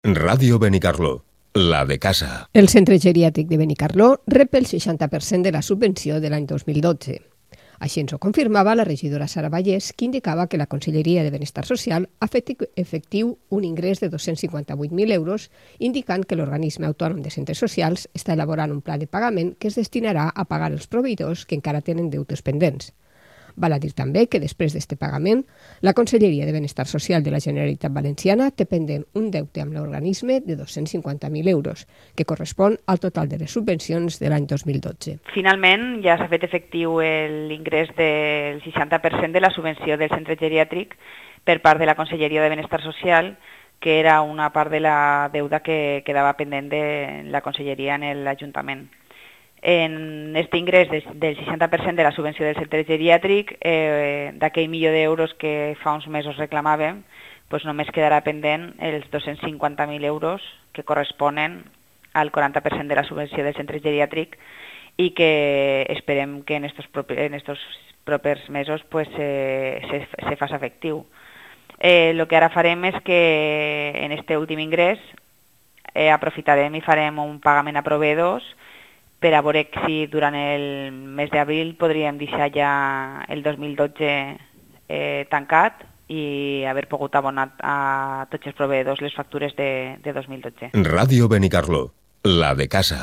Ràdio Benicarló, la de casa. El centre geriàtric de Benicarló rep el 60% de la subvenció de l'any 2012. Així ens ho confirmava la regidora Sara Vallès, que indicava que la Conselleria de Benestar Social ha fet efectiu un ingrés de 258.000 euros, indicant que l'organisme autònom de centres socials està elaborant un pla de pagament que es destinarà a pagar els proveïdors que encara tenen deutes pendents. Val a dir també que després d'aquest pagament, la Conselleria de Benestar Social de la Generalitat Valenciana té pendent un deute amb l'organisme de 250.000 euros, que correspon al total de les subvencions de l'any 2012. Finalment ja s'ha fet efectiu l'ingrés del 60% de la subvenció del centre geriàtric per part de la Conselleria de Benestar Social, que era una part de la deuda que quedava pendent de la Conselleria en l'Ajuntament. En aquest ingrés del 60% de la subvenció del centre geriàtric, d'aquell milió d'euros que fa uns mesos reclamàvem, doncs només quedarà pendent els 250.000 euros que corresponen al 40% de la subvenció del centre geriàtric i que esperem que en estos propers mesos pues, se faci efectiu. El que ara farem és que en aquest últim ingrés aprofitarem i farem un pagament a proveïdors per a veure si durant el mes d'abril podríem deixar ja el 2012 tancat i haver pogut abonar a tots els proveïdors les factures de 2012. Ràdio Benicarló, la de casa.